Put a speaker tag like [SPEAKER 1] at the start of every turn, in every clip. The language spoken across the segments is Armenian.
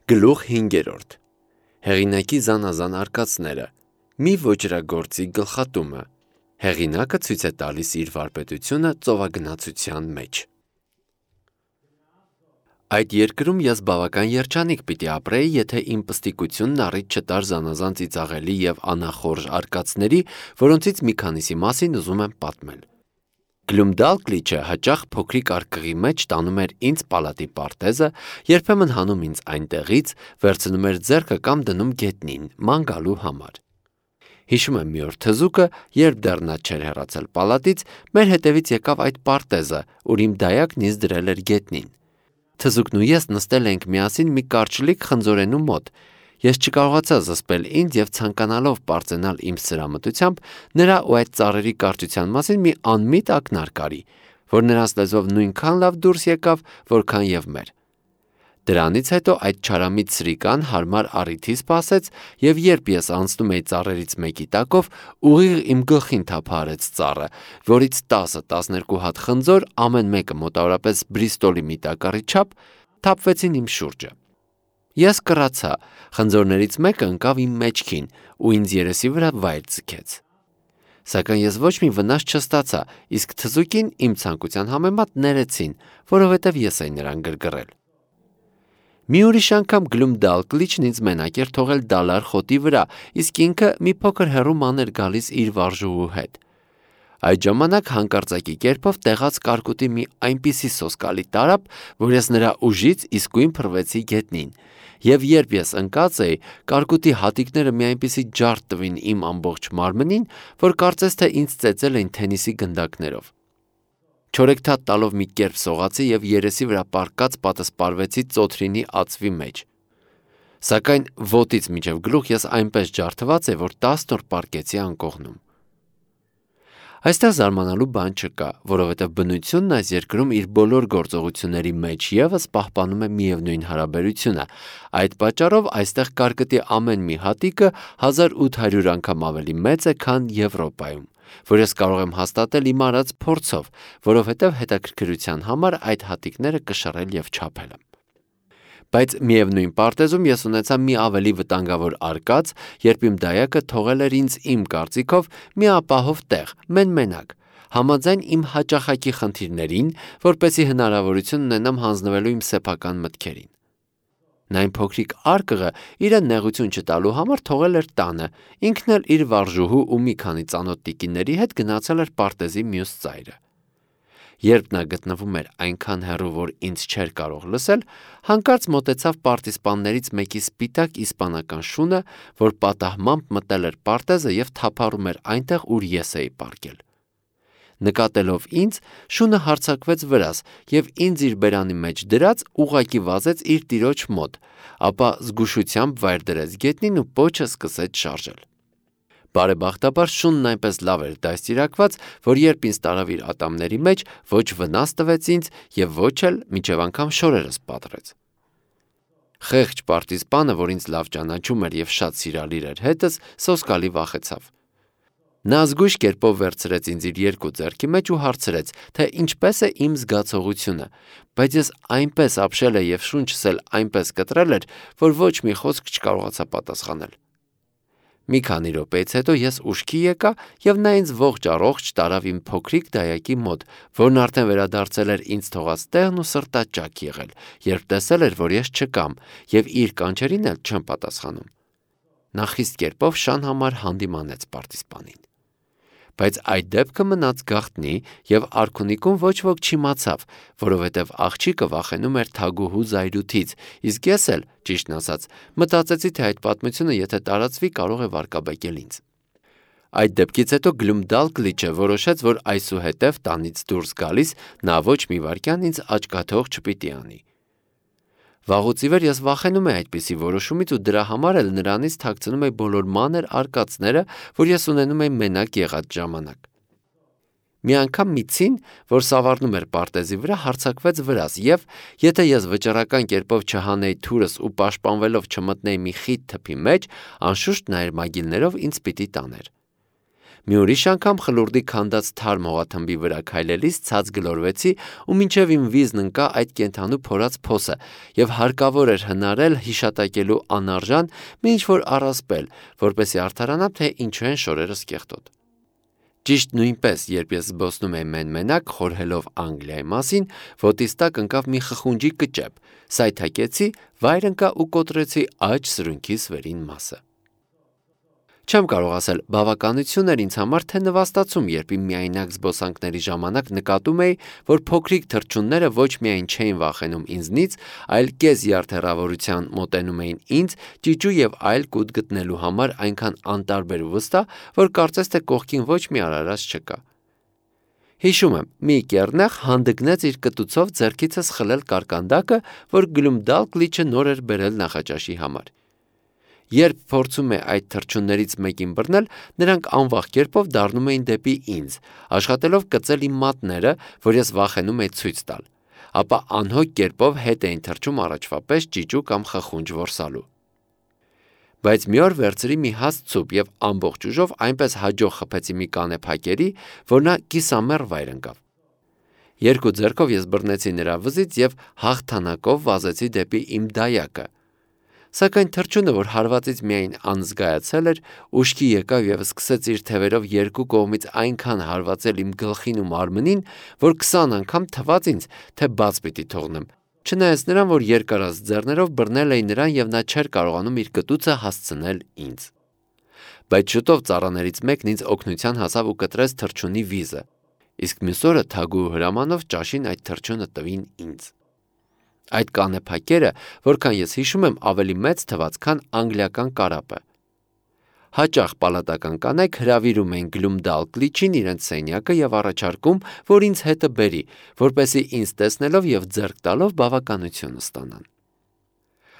[SPEAKER 1] Գլուխ 5. Հեղինակի զանազան արկածները, մի ոճրագործի գլխատումը, հեղինակը ցույց է տալիս իր վարպետությունը ծովագնացության մեջ։ Այդ երկրում ես բավական երջանիկ պիտի ապրեի, եթե իմ պստիկությունն առիթ չտար զանազան ծիծաղելի և անախորժ արկածների, որոնցից մի քանիսի մասին ուզում եմ պատմել։ Գլումդալկլիչը հաճախ փոքրիկ արկղի մեջ տանում էր ինձ պալատի պարտեզը, երբեմն հանում ինձ այնտեղից, վերցնում էր ձեռքը կամ դնում գետնին, ման գալու համար։ Հիշում եմ մի օր թզուկը, երբ դեռ նա չէր հեռացել պալատից, մեր հետևից եկավ այդ պարտեզը, ուր իմ դայակն ինձ դրել էր գետնին։ Թզուկն ու ես նստել ենք միասին մի կարճլիկ խնձորենու մոտ։ Ես չկարողացա զսպել ինձ և ցանկանալով պարծենալ իմ սրամտությամբ, նրա ու այդ ծառերի կարճության մասին մի անմիտ ակնարկ արի, որ նրանց լեզվով նույնքան լավ դուրս եկավ, որքան և մեր։ Դրանից հետո այդ չարամիտ սրիկան հարմար առիթի սպասեց, և երբ ես անցնում էի ծառերից մեկի տակով, ուղիղ իմ գլխին թափահարեց ծառը, որից 10-12 հատ խնձոր, ամեն մեկը մոտավորապես Բրիստոլի մի տակառի չափ, թափվեցին իմ շուրջը։ Ես կռացա, խնձորներից մեկը ընկավ իմ մեջքին ու ինձ երեսի վրա վայր ձգեց։ Սակայն ես ոչ մի վնաս չստացա, իսկ թզուկին իմ ցանկության համեմատ ներեցին, որովհետև ես էի նրան գրգռել։ Մի ուրիշ անգամ Գլումդալկլիչն ինձ մենակ էր թողել դալար խոտի վրա, իսկ ինքը մի փոքր հեռու ման էր գալիս իր վարժուհու հետ։ Այդ ժամանակ հանկարծակի կերպով տեղաց կարկուտի մի այնպիսի սոսկալի տարափ, որ ես նրա ուժից իսկույն փռվեցի գետնին, և երբ ես ընկած էի, կարկուտի հատիկները մի այնպիսի ջարդ տվին իմ ամբողջ մարմնին, որ կարծես թե ինձ ծեծել էին թենիսի գնդակներով։ Չորեքթաթ տալով մի կերպ սողացի և երեսի վրա պառկած պատսպարվեցի ծոթրինի ածվի մեջ։ Սակայն ոտից մինչև գլուխ ես այնպես ջարդված էի, որ 10 օր պառկեցի անկողնում։ Այստեղ զարմանալու բան չկա, որովհետև բնությունն այս երկրում իր բոլոր գործողությունների մեջ ևս պահպանում է միևնույն հարաբերությունը։ Այդ պատճառով այստեղ կարկտի ամեն մի հատիկը 1800 անգամ ավելի մեծ է, քան Եվրոպայում, որ ես կարող եմ հաստատել իմ արած փորձով, որովհետև հետաքրքրության համար այդ հատիկները կշռել և չափել եմ։ Բայց միևնույն պարտեզում ես ունեցա մի ավելի վտանգավոր արկած, երբ իմ դայակը թողել էր ինձ իմ կարծիքով մի ապահով տեղ, մեն-մենակ, համաձայն իմ հաճախակի խնդիրներին, որպեսզի հնարավորություն ունենամ հանձնվելու իմ սեփական մտքերին։ Նա այն փոքրիկ արկղը իրեն նեղություն չտալու համար թողել էր տանը, ինքն էլ իր վարժուհու ու մի քանի ծանոթ տիկինների հետ գնացել էր պարտեզի մյուս ծայրը։ Երբ նա գտնվում էր այնքան հեռու, որ ինձ չէր կարող լսել, հանկարծ մոտեցավ պարտիզպաններից մեկի սպիտակ իսպանական շունը, որ պատահմամբ մտել էր պարտեզը և թափառում էր այնտեղ, ուր ես էի պառկել։ Նկատելով ինձ, շունը հարձակվեց վրաս և ինձ իր բերանի մեջ դրած ուղղակի վազեց իր տիրոջ մոտ, ապա զգուշությամբ վայր դրեց գետնին ու պոչը սկսեց շարժել։ Բարեբախտաբար շունն այնպես լավ էր դաստիարակված, որ երբ ինձ տարավ իր ատամների մեջ, ոչ վնաս տվեց ինձ և ոչ էլ մինչև անգամ շորերս պատռեց։ Խեղճ պարտիզպանը, որ ինձ լավ ճանաչում էր և շատ սիրալիր էր հետս, սոսկալի վախեցավ։ Նա զգույշ կերպով վերցրեց ինձ իր երկու ձեռքի մեջ ու հարցրեց, թե ինչպես է իմ զգացողությունը, բայց ես այնպես ապշել էի և շունչս էլ այնպես կտրել էր, որ ոչ մի խոսք չկարողացա պատասխանել։ Մի քանի րոպեից հետո ես ուշքի եկա և նա ինձ ողջ առողջ տարավ իմ փոքրիկ դայակի մոտ, որն արդեն վերադարձել էր ինձ թողած տեղն ու սրտաճաք եղել, երբ տեսել էր, որ ես չկամ և իր կանչերին էլ չեմ պատասխանում։ Նա խիստ կերպով շան համար հանդիմանեց պարտիզպանին։ Բայց այդ դեպքը մնաց գաղտնի և արքունիքում ոչ ոք չիմացավ, որովհետև աղջիկը վախենում էր թագուհու զայրույթից, իսկ ես էլ, ճիշտն ասած, մտածեցի, թե այդ պատմությունը եթե տարածվի, կարող է վարկաբեկել ինձ։ Այդ դեպքից հետո Գլումդալկլիչը որոշեց, որ այսուհետև տանից դուրս գալիս նա ոչ մի վայրկյան ինձ աչքաթող չպիտի անի։ Վաղուց ի վեր ես վախենում էի այդպիսի որոշումից ու դրա համար էլ նրանից թաքցնում էի բոլոր մանր արկածները, որ ես ունենում էի մենակ եղած ժամանակ։ Մի անգամ մի ցին, որ սավառնում էր պարտեզի վրա, հարձակվեց վրաս և, եթե ես վճռական կերպով չհանեի թուրս ու պաշտպանվելով չմտնեի մի խիտ թփի մեջ, անշուշտ նա իր մագիլներով ինձ պիտի տաներ։ Մի ուրիշ անգամ խլուրդի քանդած թարմ հողաթմբի վրա քայլելիս ցած գլորվեցի ու մինչև իմ վիզն ընկա այդ կենդանու փորած փոսը եւ հարկավոր էր հնարել հիշատակելու անարժան մի ինչ-որ առասպել, որպեսզի արդարանամ, թե ինչու են շորերս կեղտոտ։ Ճիշտ նույնպես, երբ ես զբոսնում էի մեն-մենակ խորհելով Անգլիայի մասին, ոտիս տակ ընկավ մի խխունջի կճեպ, սայթաքեցի, վայր ընկա ու կոտրեցի աջ սրունքիս վերին մասը։ Չեմ կարող ասել, բավականություն էր ինձ համար, թե նվաստացում, երբ իմ միայնակ զբոսանքների ժամանակ նկատում էի, որ փոքրիկ թռչունները ոչ միայն չէին վախենում ինձնից, այլ կես յարդերավորության մոտենում էին ինձ, ճիճու եւ այլ կուտ գտնելու համար այնքան անտարբեր ու վստահ, որ կարծես թե կողքին ոչ մի արարած չկա։ Հիշում եմ, մի կեռնեխ հանդգնեց իր կտուցով ձեռքիցս խլել կարկանդակը, որ Գլումդալկլիչը նոր էր բերել նախաճաշի համար։ Երբ փորձում է այդ թռչուններից մեկին բռնել, նրանք անվախ կերպով դառնում էին դեպի ինձ, աշխատելով կծել իմ մատները, որ ես վախենում էի ցույց տալ, ապա անհոգ կերպով հետ էին թռչում առաջվա պես ճիճու կամ խխունջ որսալու։ Բայց մի օր վերցրի մի հաստ ցուպ եւ ամբողջ ուժով այնպես հաջող խփեցի մի կանեփակերի, որ նա կիսամեռ վայր ընկավ։ Երկու ձեռքով ես բռնեցի նրա վզից եւ հաղթանակով վազեցի դեպի իմ դայակը։ Սակայն թռչունը, որ հարվածից միայն անզգայացել էր, ուշքի եկավ եւ սկսեց իր թևերով երկու կողմից այնքան հարվածել իմ գլխին ու մարմնին, որ 20 անգամ թվաց ինձ, թե բաց պիտի թողնեմ, չնայած նրան, որ երկարած ձեռներով բռնել էի նրան եւ նա չէր կարողանում իր կտուցը հասցնել ինձ։ Բայց շուտով ծառաներից մեկն ինձ օգնության հասավ ու կտրեց թռչունի վիզը, իսկ մյուս օրը թագուհու հրամանով ճաշին այդ թռչունը տվին ինձ։ Այդ կանեփակերը, որքան ես հիշում եմ, ավելի մեծ թվաց, քան անգլիական կարապը։ Հաճախ պալատական կանայք հրավիրում էին Գլումդալկլիչին իրենց սենյակը եւ առաջարկում, որ ինձ հետը բերի, որպեսզի ինձ տեսնելով եւ ձեռք տալով բավականություն ստանան։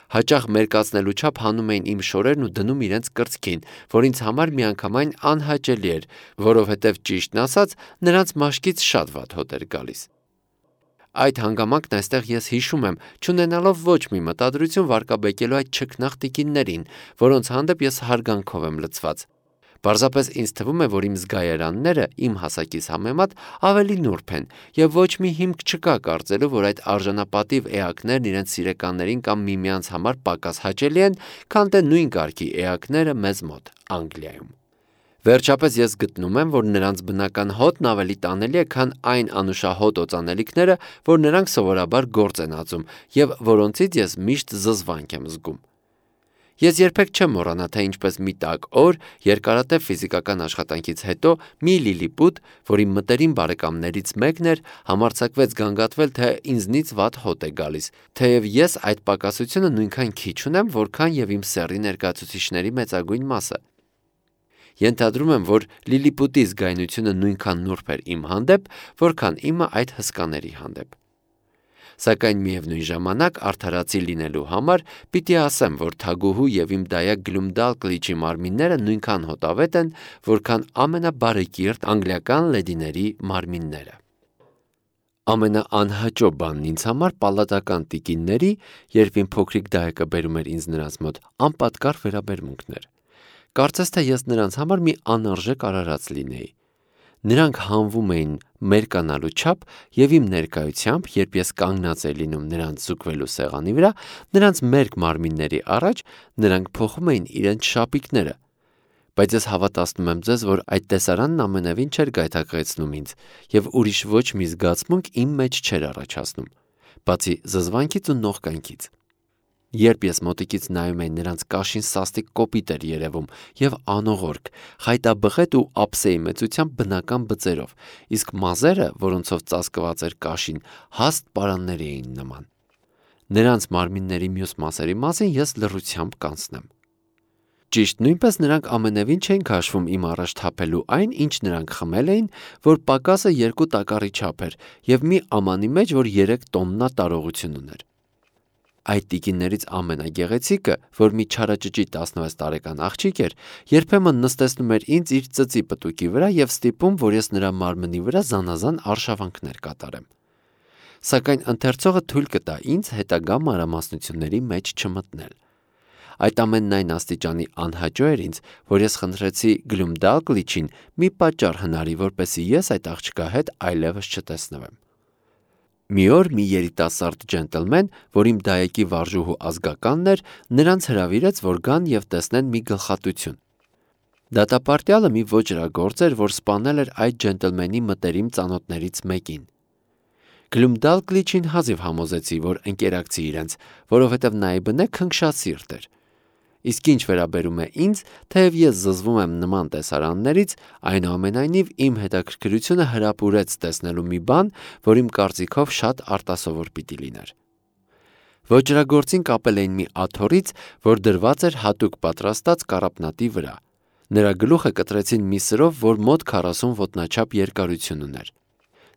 [SPEAKER 1] Հաճախ մերկացնելու չափ հանում էին իմ շորերն ու դնում իրենց կրծքին, որ ինձ համար միանգամայն անհաճելի էր, որովհետեւ ճիշտն ասած, նրանց մաշկից շատ վատ հոտ էր գալիս։ Այդ հանգամանքն այստեղ ես հիշում եմ, չունենալով ոչ մի մտադրություն վարկաբեկելու այդ չքնաղ տիկիններին, որոնց հանդեպ ես հարգանքով եմ լցված։ Պարզապես ինձ թվում է, որ իմ զգայարանները իմ հասակից համեմատ ավելի նուրբ են, եւ ոչ մի հիմք չկա կարծելու, որ այդ արժանապատիվ էակներն իրենց սիրեկաններին կամ միմյանց համար պակաս հաճելի են, քան թե նույն կարգի էակները մեզ մոտ, Անգլիայում։ Վերջապես ես գտնում եմ, որ նրանց բնական հոտն ավելի տանելի է, քան այն անուշահոտ օծանելիքները, որ նրանք սովորաբար գործ են ածում եւ որոնցից ես միշտ զզվանք եմ զգում։ Ես երբեք չեմ մոռանա, թե ինչպես մի տաք օր երկարատև ֆիզիկական աշխատանքից հետո մի լիլիպուտ, որ իմ մտերիմ բարեկամներից մեկն էր, համարձակվեց գանգատվել, թե ինձնից վատ հոտ է գալիս, թեև ես այդ պակասությունը նույնքան քիչ ունեմ, որքան եւ իմ սեռի ներկայացուցիչների մեծագույն մասը։ Ենթադրում եմ, որ լիլիպուտի զգայունությունը նույնքան նուրբ էր իմ հանդեպ, որքան իմը այդ հսկաների հանդեպ։ Սակայն միևնույն ժամանակ արդարացի լինելու համար պիտի ասեմ, որ թագուհու եւ իմ դայակ Գլումդալկլիչի մարմինները նույնքան հոտավետ են, որքան ամենաբարեկիրթ անգլիական լեդիների մարմինները։ Ամենաանհաճո բանն ինձ համար պալատական տիկինների, երբ իմ փոքրիկ դայակը բերում էր ինձ նրանց մոտ, անպատկառ վերաբերմունքն էր։ Կարծես թե ես նրանց համար մի անարժեք արարած լինեի։ Նրանք հանվում էին մերկանալու չափ եւ իմ ներկայությամբ, երբ ես կանգնած էի լինում նրանց զուգվելու սեղանի վրա, նրանց մերկ մարմինների առաջ, նրանք փոխում էին իրենց շապիկները։ Բայց ես հավատացնում եմ ձեզ, որ այդ տեսարանն ամենևին չէր գայթակղեցնում ինձ եւ ուրիշ ոչ մի զգացմունք իմ մեջ չէր առաջացնում, բացի զզվանքից ու նողկանքից։ Երբ ես մոտիկից նայում էի նրանց կաշին սաստիկ կոպիտ էր երևում եւ անողորկ, խայտաբղետ ու ափսեի մեծությամբ բնական բծերով, իսկ մազերը, որոնցով ծածկված էր կաշին, հաստ պարանների էին նման։ Նրանց մարմինների մյուս մասերի մասին ես լռությամբ կանցնեմ։ Ճիշտ նույնպես նրանք ամենևին չէին քաշվում իմ առաջ թափելու այն, ինչ նրանք խմել էին, որ պակասը 2 տակառի չափ էր եւ մի ամանի մեջ, որ 3 տոննա տարողություն ուներ։ Այդ տիկիններից ամենագեղեցիկը, որ մի չարաճճի 16 տարեկան աղջիկ էր, երբեմն նստեցնում էր ինձ իր ծծի պտուկի վրա եւ ստիպում, որ ես նրա մարմնի վրա զանազան արշավանքներ կատարեմ։ Սակայն ընթերցողը թույլ կտա ինձ հետագա մանրամասնությունների մեջ չմտնել։ Այդ ամենն այն աստիճանի անհաճո էր ինձ, որ ես խնդրեցի Գլումդալկլիչին մի պատճառ հնարի, որպեսզի ես այդ աղջկա հետ այլևս չտեսնվեմ։ Մի օր մի երիտասարդ ջենտլմեն, որ իմ դայեկի վարժուհու ազգականն էր, նրանց հրավիրեց, որ գան և տեսնեն մի գլխատություն։ Դատապարտյալը մի ոճրագործ էր, որ սպանել էր այդ ջենտլմենի մտերիմ ծանոթներից մեկին։ Գլումդալկլիչին հազիվ համոզեցի, որ ընկերակցի իրենց, որովհետև նա ի բնե քնքշասիրտ էր։ Իսկ ինչ վերաբերում է ինձ, թեև ես զզվում եմ նման տեսարաններից, այնուամենայնիվ իմ հետաքրքրությունը հրապուրեց տեսնելու մի բան, որ իմ կարծիքով շատ արտասովոր պիտի լիներ։ Ոճրագործին կապել էին մի աթոռից, որ դրված էր հատուկ պատրաստած կառապնատի վրա։ Նրա գլուխը կտրեցին մի սրով, որ մոտ 40 ոտնաչափ երկարություն ուներ։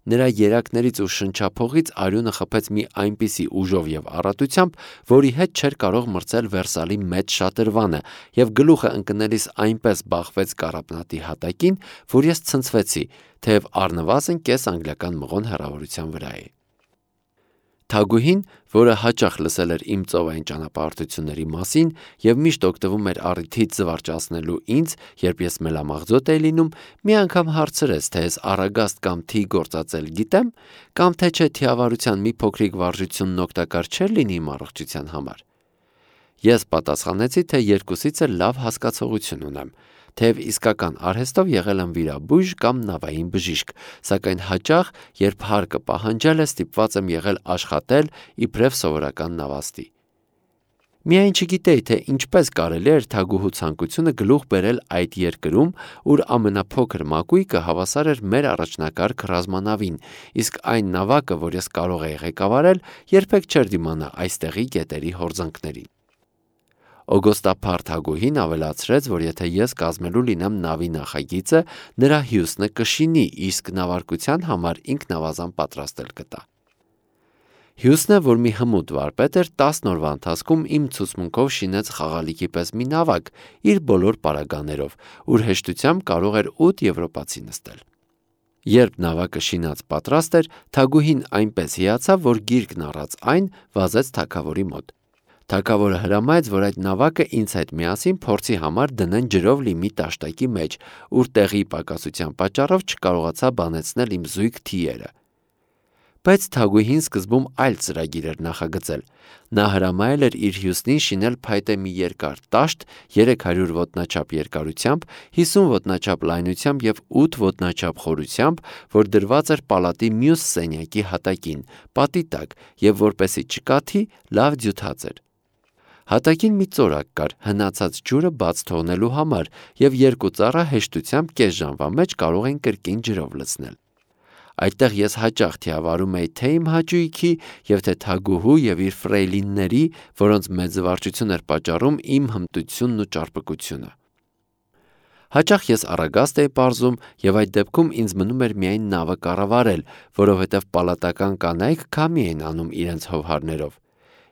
[SPEAKER 1] Նրա երակներից ու շնչափողից արյունը խփեց մի այնպիսի ուժով և առատությամբ, որի հետ չէր կարող մրցել Վերսալի մեծ շատրվանը, և գլուխը ընկնելիս այնպես բախվեց կառապնատի հատակին, որ ես ցնցվեցի, թեև առնվազն կես անգլիական մղոն հեռավորության վրա էի։ Թագուհին, որը հաճախ լսել էր իմ ծովային ճանապարհորդությունների մասին և միշտ օգտվում էր առիթից զվարճացնելու ինձ, երբ ես մելամաղձոտ էի լինում, մի անգամ հարցրեց, թե ես առագաստ կամ թի գործածել գիտեմ, կամ թե չէ թիավարության մի փոքրիկ վարժությունն օգտակար չէր լինի իմ առողջության համար։ Ես պատասխանեցի, թե երկուսից էլ լավ հասկացողություն ունեմ, թեև իսկական արհեստով եղել եմ վիրաբույժ կամ նավային բժիշկ, սակայն հաճախ, երբ հարկը պահանջել է, ստիպված եմ եղել աշխատել իբրև սովորական նավաստի։ Միայն չգիտեի, թե ինչպես կարելի էր թագուհու ցանկությունը գլուխ բերել այդ երկրում, ուր ամենափոքր մակույկը հավասար էր մեր առաջնակարգ ռազմանավին, իսկ այն նավակը, որ ես կարող էի ղեկավարել, երբեք չէր դիմանա այստեղի գետերի հորձանքներին։ Օգոստափառ թագուհին ավելացրեց, որ եթե ես կազմելու լինեմ նավի նախագիծը, նրա հյուսնը կշինի, իսկ նավարկության համար ինքնավազան պատրաստել կտա։ Հյուսնը, որ մի հմուտ վարպետ էր, 10 օրվա ընթացքում իմ ցուցմունքով շինեց խաղալիքի պես մի նավակ, իր բոլոր պարագաներով, ուր հեշտությամբ կարող էր 8 եվրոպացի նստել։ Երբ նավակը շինած պատրաստ էր, թագուհին այնպես հիացավ, որ գիրկն առած այն վազեց թագավորի մոտ։ Թագավորը հրամայեց, որ այդ նավակը ինձ հետ միասին փորձի համար դնեն ջրով լի մի տաշտակի մեջ, ուր տեղի պակասության պատճառով չկարողացա բանեցնել իմ զույգ թիերը։ Բայց թագուհին սկզբում այլ ծրագիր էր նախագծել։ Նա հրամայել էր իր հյուսնին շինել փայտե մի երկար տաշտ 300 ոտնաչափ երկարությամբ, 50 ոտնաչափ լայնությամբ և 8 ոտնաչափ խորությամբ, որ դրված էր պալատի մյուս սենյակի հատակին, պատի տակ, և որպեսզի չկաթի, լավ ձյութած էր։ Հատակին մի ծորակ կար հնացած ջուրը բաց թողնելու համար, և երկու ծառա հեշտությամբ կես ժամվա մեջ կարող էին կրկին ջրով լցնել։ Այդտեղ ես հաճախ թիավարում էի թե իմ հաճույքի և թե թագուհու և իր ֆրեյլինների, որոնց մեծ զվարճություն էր պատճառում իմ հմտությունն ու ճարպկությունը։ Հաճախ ես առագաստ էի պարզում, և այդ դեպքում ինձ մնում էր միայն նավը կառավարել, որովհետև պալատական կանայք քամի էին անում իրենց հովհարներով։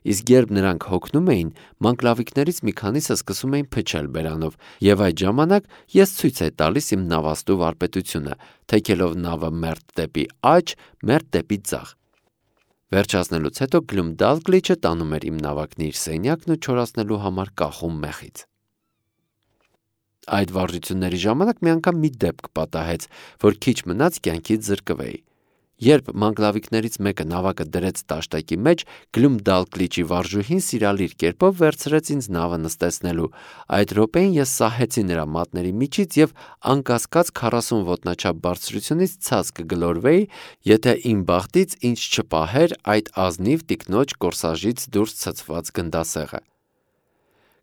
[SPEAKER 1] Իսկ երբ նրանք հոգնում էին, մանկլավիկներից մի քանիսը սկսում էին փչել բերանով, և այդ ժամանակ ես ցույց էի տալիս իմ նավաստու վարպետությունը, թեքելով նավը մերթ դեպի աջ, մերթ դեպի ձախ։ Վերջացնելուց հետո Գլումդալկլիչը տանում էր իմ նավակն իր սենյակն ու չորացնելու համար կախում մեխից։ Այդ վարժությունների ժամանակ մի անգամ մի դեպք պատահեց, որ քիչ մնաց կյանքից զրկվեի։ Երբ մանկլավիկներից մեկը նավակը դրեց տաշտակի մեջ, Գլումդալկլիչի վարժուհին սիրալիր կերպով վերցրեց ինձ նավը նստեցնելու։ Այդ րոպեին ես սահեցի նրա մատների միջից և անկասկած 40 ոտնաչափ բարձրությունից ցած կգլորվեի, եթե իմ բախտից ինձ չպահեր այդ ազնիվ տիկնոջ կորսաժից դուրս ցցված գնդասեղը։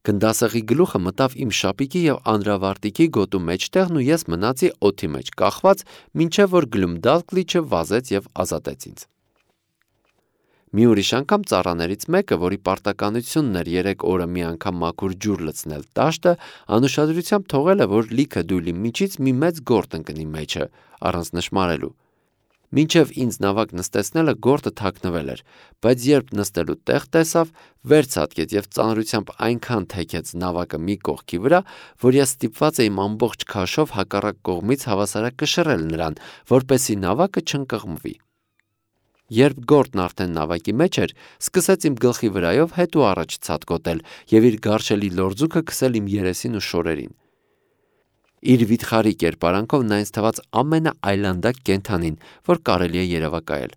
[SPEAKER 1] Գնդասեղի գլուխը մտավ իմ շապիկի և անդրավարտիքի գոտու մեջտեղն ու ես մնացի օդի մեջ կախված, մինչև որ Գլումդալկլիչը վազեց և ազատեց ինձ։ Մի ուրիշ անգամ ծառաներից մեկը, որի պարտականությունն էր 3 օրը մի անգամ մաքուր ջուր լցնել տաշտը, անուշադրությամբ թողել է, որ լիքը դույլի միջից մի մեծ գորտ ընկնի մեջը, առանց նշմարելու։ Մինչև ինձ նավակ նստեցնելը գորտը թաքնվել էր, բայց երբ նստելու տեղ տեսավ, վերցատկեց և ծանրությամբ այնքան թեքեց նավակը մի կողքի վրա, որ ես ստիպված էի ամբողջ քաշով հակառակ կողմից հավասարակշռել նրան, որպեսզի նավակը չընկղմվի։ Երբ գորտն արդեն նավակի մեջ էր, սկսեց իմ գլխի վրայով հետ ու առաջ ցատկոտել եւ իր գարշելի լորձուկը քսել իմ երեսին ու շորերին։ Իր վիթխարի կերպարանքով նա ինձ թվաց ամենաայլանդակ կենդանին, որ կարելի է երևակայել։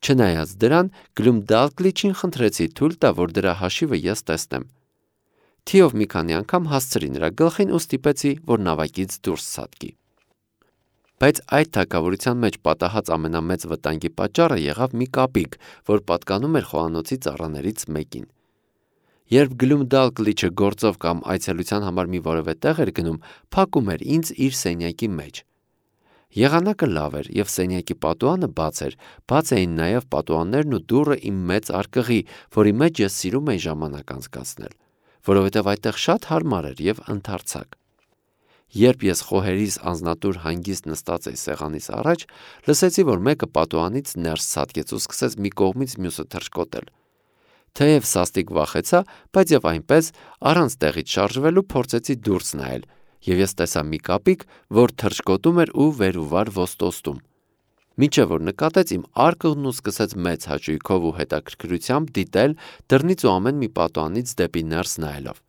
[SPEAKER 1] Չնայած դրան, Գլումդալկլիչին խնդրեցի թույլ տա, որ դրա հաշիվը ես տեսնեմ։ Թիով մի քանի անգամ հասցրի նրա գլխին ու ստիպեցի, որ նավակից դուրս ցատկի։ Բայց այդ թագավորության մեջ պատահած ամենամեծ վտանգի պատճառը եղավ մի կապիկ, որ պատկանում էր խոհանոցի ծառաներից մեկին։ Երբ Գլումդալկլիչը գործով կամ այցելության համար մի որևէ տեղ էր գնում, փակում էր ինձ իր սենյակի մեջ։ Եղանակը լավ էր եւ սենյակի պատուհանը բաց էր, բաց էին նաեւ պատուհաններն ու դուռը իմ մեծ արկղի, որի մեջ ես սիրում էի ժամանակ անցկացնել, որովհետեւ այդտեղ շատ հարմար էր եւ ընդարձակ։ Երբ ես խոհերիս անձնատուր հանգիստ նստած էի սեղանիս առաջ, լսեցի, որ մեկը պատուհանից ներս ցատկեց ու սկսեց մի կողմից մյուսը թռչկոտել։ Թեև սաստիկ վախեցա, բայց եւ այնպես առանց տեղից շարժվելու փորձեցի դուրս նայել, եւ ես տեսա մի կապիկ, որ թռչկոտում էր ու վեր ու վար ոստոստում։ Մինչև որ նկատեց իմ արկղն ու սկսեց մեծ հաճույքով ու հետաքրքրությամբ դիտել դռնից ու ամեն մի պատուհանից դեպի ներս նայելով։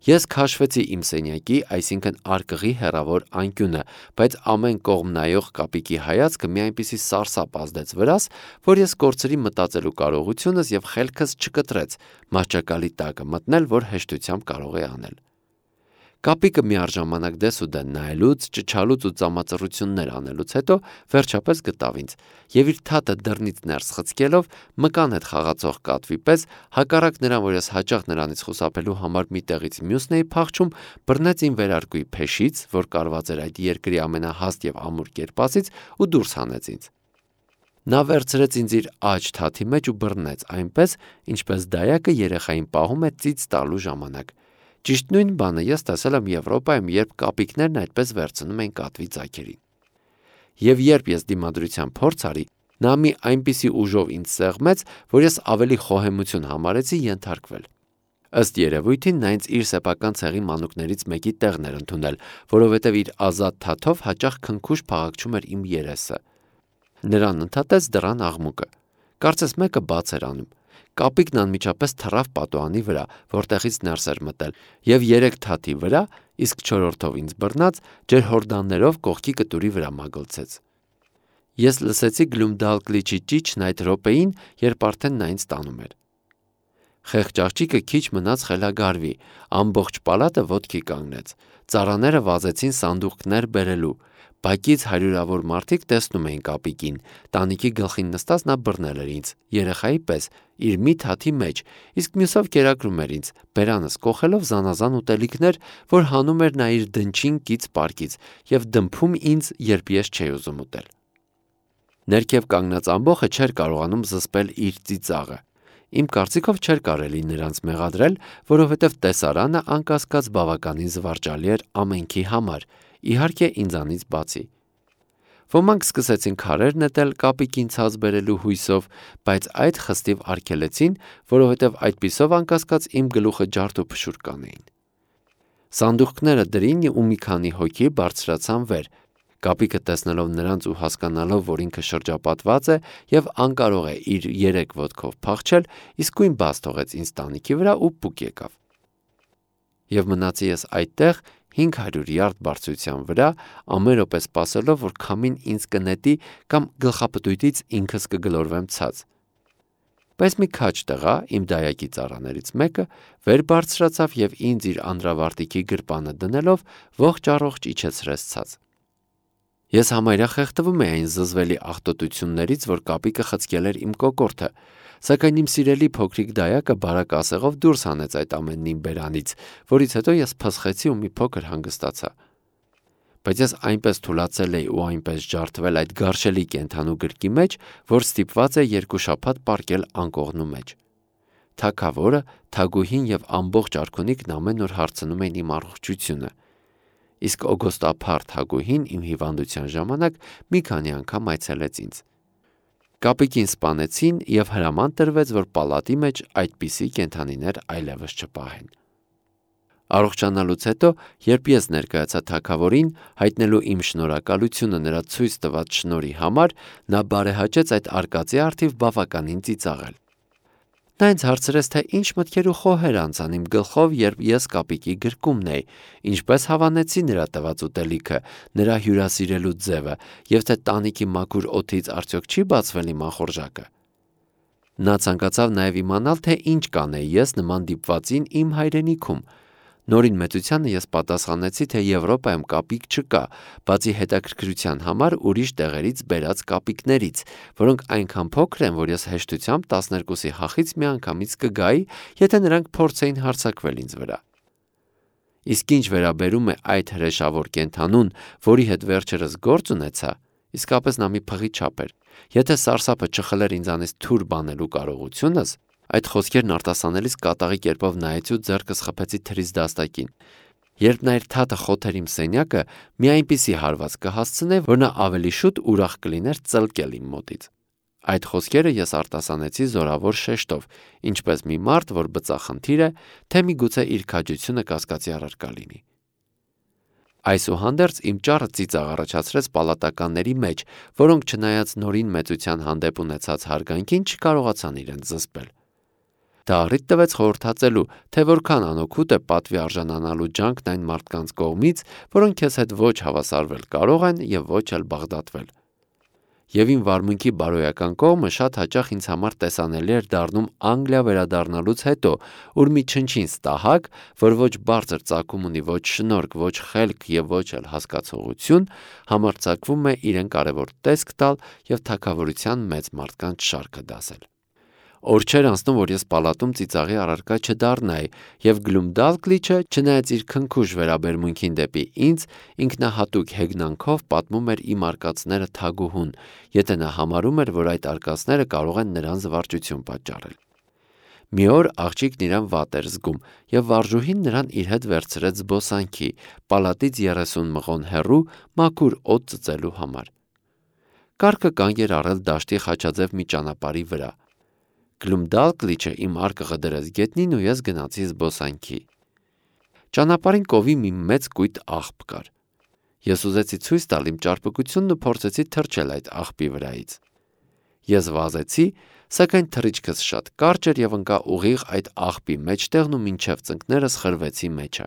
[SPEAKER 1] Ես քաշվեցի իմ սենյակի, այսինքն արկղի հեռավոր անկյունը, բայց ամեն կողմ նայող կապիկի հայացքը մի այնպիսի սարսափ ազդեց վրաս, որ ես կորցրի մտածելու կարողությունս եւ խելքս չկտրեց մահճակալի տակը մտնել, որ հեշտությամբ կարող էի անել։ Կապիկը միառժամանակ դես ու դեն նայելուց, ճչալուց ու ծամածռություններ անելուց հետո վերջապես գտավ ինձ եւ իր թաթը դռնից ներս խցկելով մկան հետ խաղացող կատվի պես, հակառակ նրան, որ ես հաճախ նրանից խուսափելու համար մի տեղից մյուսն էի փախչում, բռնեց իմ վերարկուի փեշից, որ կարված էր այդ երկրի ամենահաստ եւ ամուր կերպասից, ու դուրս հանեց ինձ։ Նա վերցրեց ինձ իր աջ թաթի մեջ ու բռնեց այնպես, ինչպես դայակը երեխային պահում է ծիծ տալու ժամանակ։ Ճիշտ նույն բանը ես տեսել եմ Եվրոպայում, երբ կապիկներն այդպես վերցնում են կատվի ծագերին։ Եվ երբ ես դիմադրության փորձ արի, նա մի այնպիսի ուժով ինձ սեղմեց, որ ես ավելի խոհեմություն համարեցի ենթարկվել։ Ըստ երևույթին նա ինձ իր սեփական ցեղի մանուկներից մեկի տեղն էր ընդունել, որովհետև իր ազատ թաթով հաճախ քնքուշ փաղաքչում էր իմ երեսը։ Նրան ընդհատեց դռան աղմուկը։ Կարծես մեկը բաց էր անում։ Կապիկն անմիջապես թռավ պատուհանի վրա, որտեղից ներս էր մտել, եւ 3 թաթի վրա, իսկ 4-րդով ինձ բռնած, ջրհորդաններով կողքի կտուրի վրա մագլցեց։ Ես լսեցի Գլումդալկլիչի ճիչն այդ րոպեին, երբ արդեն նա ինձ տանում էր։ Խեղճ աղջիկը քիչ մնաց խելագարվի, ամբողջ պալատը ոտքի կանգնեց, ծառաները վազեցին սանդուղքներ բերելու, բակից հարյուրավոր մարդիկ տեսնում էին կապիկին, տանիքի գլխին նստած նա բռնել էր ինձ, երեխայի պես, իր մի թաթի մեջ, իսկ մյուսով կերակրում էր ինձ, բերանս կոխելով զանազան ուտելիքներ, որ հանում էր նա իր դնչին կից պարկից եւ դմփում ինձ, երբ ես չէի ուզում ուտել։ Ներքև կանգնած ամբոխը չէր կարողանում զսպել իր ծիծաղը։ Իմ կարծիքով չէր կարելի նրանց մեղադրել, որովհետև տեսարանը անկասկած բավականին զվարճալի էր ամենքի համար, իհարկե ինձանից բացի։ Ոմանք սկսեցին քարեր նետել կապիկին ցած բերելու հույսով, բայց այդ խստիվ արգելեցին, որովհետև այդպիսով անկասկած իմ գլուխը ջարդ ու փշուր կանեին։ Սանդուղքները դրին ու մի քանի հոգի բարձրացան վեր։ Կապիկը տեսնելով նրանց ու հասկանալով, որ ինքը շրջապատված է եւ անկարող է իր 3 ոտքով փախչել, իսկույն բաց թողեց ինձ տանիքի վրա ու պուկ եկավ։ Եվ մնացի ես այդտեղ 500 յարդ բարձրության վրա, ամեն րոպե սպասելով, որ քամին ինձ կնետի կամ գլխապտույտից ինքս կգլորվեմ ցած։ Բայց մի քաջ տղա, իմ դայակի ծառաներից մեկը, վեր բարձրացավ եւ ինձ իր անդրավարտիքի գրպանը դնելով ողջ առողջ իջեցրեց ցած։ Ես համարյա խեղդվում էի այն զզվելի աղտոտություններից, որ կապիկը խցկել էր իմ կոկորդը, սակայն իմ սիրելի փոքրիկ դայակը բարակ ասեղով դուրս հանեց այդ ամենն իմ բերանից, որից հետո ես փսխեցի ու մի փոքր հանգստացա։ Բայց ես այնպես թուլացել էի ու այնպես ջարդվել այդ գարշելի կենդանու գրկի մեջ, որ ստիպված է 2 շաբաթ պառկել անկողնու մեջ։ Թագավորը, թագուհին եւ ամբողջ արքունիքն ամեն օր հարցնում էին իմ առողջությունը։ Իսկ օգոստափառ թագուհին իմ հիվանդության ժամանակ մի քանի անգամ այցելեց ինձ։ Կապիկին սպանեցին եւ հրաման տրվեց, որ պալատի մեջ այդպիսի կենդանիներ այլևս չպահեն։ Առողջանալուց հետո, երբ ես ներկայացա թագավորին, հայտնելու իմ շնորհակալությունը նրա ցույց տված շնորհի համար, նա բարեհաճեց այդ արկածի առթիվ բավականին ծիծաղել։ Նա ինձ հարցրեց, թե ինչ մտքեր ու խոհեր անցան իմ գլխով, երբ ես կապիկի գրկումն էի, ինչպես հավանեցի նրա տված ուտելիքը, նրա հյուրասիրելու ձևը, եւ թե տանիքի մաքուր օդից արդյոք չի բացվել իմ ախորժակը։ Նա ցանկացավ նաև իմանալ, թե ինչ կանեի ես նման դիպվածին իմ հայրենիքում։ Նորին մեծությանը ես պատասխանեցի, թե Եվրոպայում կապիկ չկա, բացի հետաքրքրության համար ուրիշ տեղերից բերած կապիկներից, որոնք այնքան փոքր են, որ ես հեշտությամբ 12-ի հախից միանգամից կգայի, եթե նրանք փորձեին հարձակվել ինձ վրա։ Իսկ ինչ վերաբերում է այդ հրեշավոր կենդանուն, որի հետ վերջերս գործ ունեցա, իսկապես նա մի փղի չափ էր։ Եթե սարսափը չխլեր ինձանից թուր բանելու կարողությունս, այդ խոսքերն արտասանելիս կատաղի կերպով նայեցի ու ձեռքս խփեցի թրիս դաստակին։ Երբ նա իր թաթը խոթեր իմ սենյակը, մի այնպիսի հարված կհասցներ, որ նա ավելի շուտ ուրախ կլիներ ծլկել իմ մոտից։ Այդ խոսքերը ես արտասանեցի զորավոր շեշտով, ինչպես մի մարդ, որ բծախնդիր է, թե միգուցե իր քաջությունը կասկածի առարկա լինի։ Այսուհանդերձ իմ ճառը ծիծաղ առաջացրեց պալատականների մեջ, որոնք չնայած նորին մեծության հանդեպ ունեցած հարգանքին չկարողացան իրենց զսպել։ Դա առիթ տվեց խորհրդածելու, թե որքան անօգուտ է պատվի արժանանալու ջանքն այն մարդկանց կողմից, որոնք քեզ հետ ոչ հավասարվել կարող են եւ ոչ էլ բաղդատվել։ Եվ իմ վարմունքի բարոյական կողմը շատ հաճախ ինձ համար տեսանելի էր դառնում Անգլիա վերադառնալուց հետո, ուր մի չնչին ստահակ, որ ոչ բարձր ծագում ունի, ոչ շնորհք, ոչ խելք եւ ոչ էլ հասկացողություն, համարձակվում է իրեն կարևոր տեսք տալ եւ թագավորության մեծ մարդկանց շարքը դասել։ Օր չէր անցնում, որ ես պալատում ծիծաղի առարկա չդառնայի, եւ Գլումդալկլիչը, չնայած իր քնքուշ վերաբերմունքին դեպի ինձ, ինքնահատուկ հեգնանքով պատմում էր իմ արկածները թագուհուն, եթե նա համարում էր, որ այդ արկածները կարող են նրան զվարճություն պատճառել։ Մի օր աղջիկն իրան վատ էր զգում, եւ վարժուհին նրան իր հետ վերցրեց զբոսանքի, պալատից 30 մղոն հեռու, մաքուր օդ ծծելու համար։ Կառքը կանգ էր առել դաշտի խաչաձև մի ճանապարհի վրա։ Գլումդալկլիչը իմ արկղը դրեց գետնին ու ես գնացի զբոսանքի։ Ճանապարհին կովի մի մեծ կույտ աղբ կար։ Ես ուզեցի ցույց տալ իմ ճարպկությունն ու փորձեցի թռչել այդ աղբի վրայից։ Ես վազեցի, սակայն թռիչքս շատ կարճ էր եւ ընկա ուղիղ այդ աղբի մեջտեղն ու մինչև ծնկներս խրվեցի մեջը։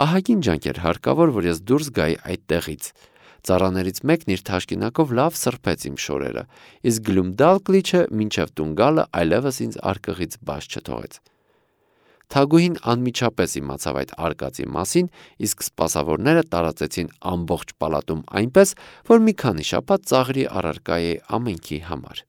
[SPEAKER 1] Ահագին ջանք էր հարկավոր, որ ես դուրս գայի այդ տեղից։ Ծառաներից մեկն իր թաշկինակով լավ սրբեց իմ շորերը, իսկ Գլումդալկլիչը մինչև տուն գալը այլևս ինձ արկղից բաց չթողեց։ Թագուհին անմիջապես իմացավ այդ արկածի մասին, իսկ սպասավորները տարածեցին ամբողջ պալատում այնպես, որ մի քանի շաբաթ ծաղրի առարկա է ամենքի համար։